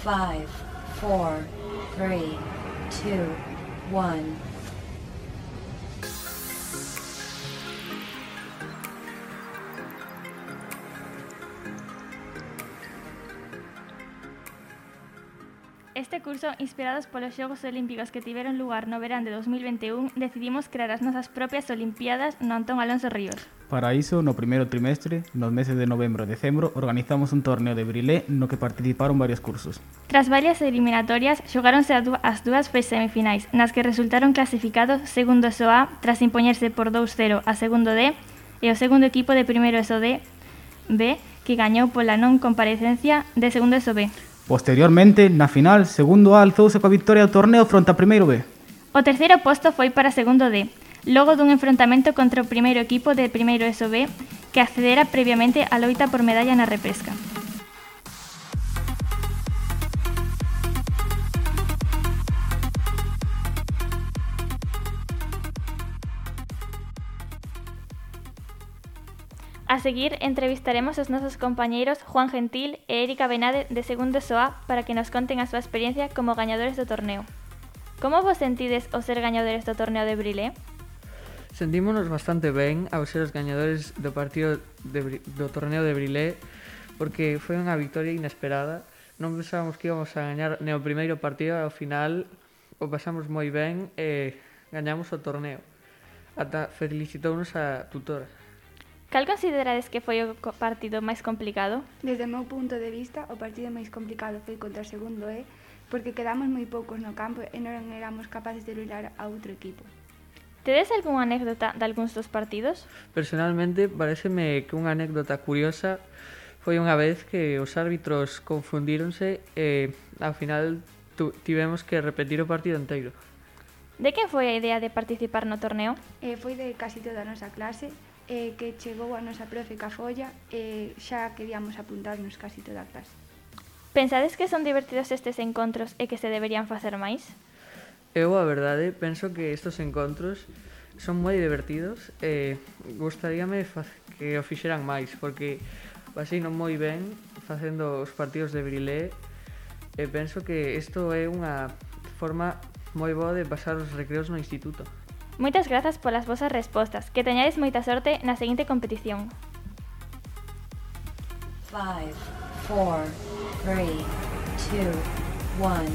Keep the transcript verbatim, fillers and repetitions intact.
five, four, three, two, one. Este curso, inspirados polos Xogos Olímpicos que tiveron lugar no verán de dos mil vinte e un, decidimos crear as nosas propias Olimpiadas no Antón Alonso Ríos. Para iso, no primeiro trimestre, nos meses de novembro e decembro, organizamos un torneo de Brilé no que participaron varios cursos. Tras varias eliminatorias, xogáronse as dúas semifinais, nas que resultaron clasificados segundo E S O A tras impoñerse por dous cero a segundo D e o segundo equipo de primeiro E S O D B, que gañou pola non comparecencia de segundo E S O B. Posteriormente, na final, segundo A alzouse coa victoria do torneo fronte a primeiro B. O terceiro posto foi para segundo D, logo dun enfrontamento contra o primeiro equipo de primeiro E S O B que accedera previamente á loita por medalla na repesca. A seguir, entrevistaremos aos nosos compañeiros Juan Gentil e Érika Benade de segundo E S O A para que nos conten a súa experiencia como gañadores do torneo. Como vos sentides ao ser gañadores do torneo de Brilé? Sentímonos bastante ben ao ser os gañadores do partido de, do torneo de Brilé porque foi unha victoria inesperada. Non pensábamos que íbamos a gañar no primeiro partido e ao final o pasamos moi ben e gañamos o torneo. Ata felicitounos a tutora. Cal considerades que foi o partido máis complicado? Desde o meu punto de vista, o partido máis complicado foi contra o segundo E, porque quedamos moi poucos no campo e non éramos capaces de luitar a outro equipo. Tedes algunha anécdota de algúns dos partidos? Personalmente, pareceme que unha anécdota curiosa foi unha vez que os árbitros confundíronse e ao final tivemos que repetir o partido inteiro. De quen foi a idea de participar no torneo? Eh, foi de casi toda a nosa clase, eh, que chegou a nosa profe ca folla e xa queríamos apuntarnos casi toda a clase. Pensades que son divertidos estes encontros e que se deberían facer máis? Eu, a verdade, penso que estes encontros son moi divertidos e gustaríame que o fixeran máis, porque así non moi ben facendo os partidos de Brilé e penso que isto é unha forma moi boa de pasar os recreos no instituto. Moitas grazas polas vosas respostas. Que teñades moita sorte na seguinte competición. five, four, three, two, one.